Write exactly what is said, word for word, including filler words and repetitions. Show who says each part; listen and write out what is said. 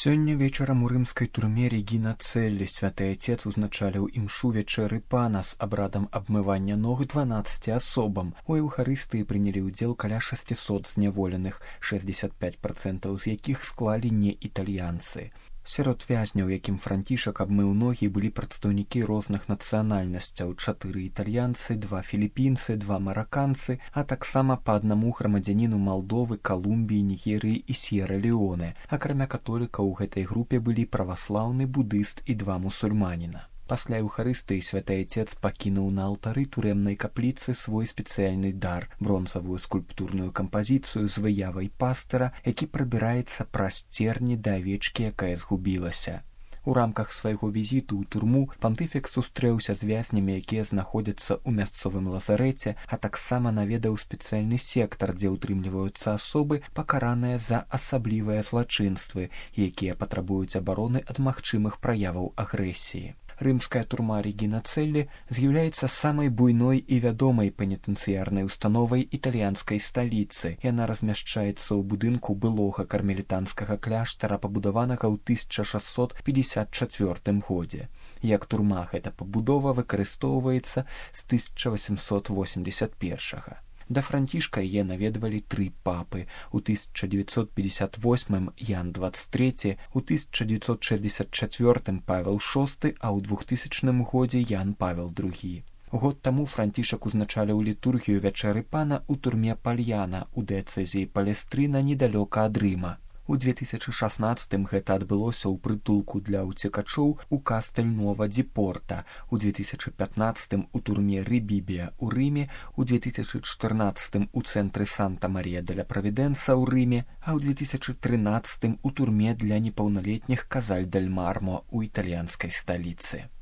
Speaker 1: Сёння вечарам у рымскай турме Регіна Целлі святы айцец узначаліў імшу вечэры пана з абрадам абмывання ног дванаццаці асобам. У эўхарыстыі прынялі ўдзел каля шасцісот зняволеных, шэсцьдзесят пяць працэнтаў з якіх склалі не італьянцы. Сярод вязняў, якім Францішак абмыў ногі, былі прадстаўнікі розных нацыянальнасцяў: чатыры італьянцы, два філіпінцы, два мараканцы, а таксама па аднаму грамадзяніну Малдовы, Калумбіі, Нігерыі і Сьера-Леоне. Акрамя католікаў у гэтай групе былі праваслаўны, будыст і два мусульманіна. Пасля эўхарыстыі святы айцец пакінуў на алтары турэмнай капліцы свой спецыяльны дар — бронзавую скульптурную кампазіцыю з выявай пастыра, які прабіраецца праз церні да авечкі, якая згубілася. У рамках свайго візіту ў турму пантыфік сустрэўся з вязнямі, якія знаходзяцца ў мясцовым лазарэце, а таксама наведаў спецыяльны сектар, дзе ўтрымліваюцца асобы, пакараныя за асаблівыя злачынствы, якія патрабуюць абароны ад магчымых праяваў агрэсіі. Рымская турма Регіна Целлі з'яўляецца самай буйной і вядомай пенітэнцыярнай установай італьянскай сталіцы. Яна размяшчаецца ў будынку былога кармелітанскага кляштара, пабудаванага ў тысяча шасцьсот пятьдесят чвёртым годзе. Як турма гэта пабудова выкарыстоўваецца з тысяча восемьсот восемьдесят першага. Да Францішка яе наведвалі тры папы. У тысяча дзевяцьсот пятьдесят восьмым Ян двадцать трэці, у тысяча дзевяцьсот шэсцьдесят чвёртым Павел шосты, а ў двухтысячным годзе Ян Павел другі. Год таму Францішак узначаліў літургію вячэры пана ў турме Пальяна у дыяцэзіі Палестрына недалёка ад Рыма. У две тысячы шаснаццатым гэта адбылося ў прытулку для ўцекачоў у Кастэль-Нова-ді-Порта, у две тысячы пятнаццатым у турме Рыбібія ў Рыме, у две тысячы чатырнаццатым у цэнтры Санта-Марія-деля-Правідэнса ў Рыме, а ў две тысячы трынаццатым у турме для непаўналетніх Казаль-дель-Мармо ў італьянскай сталіцы.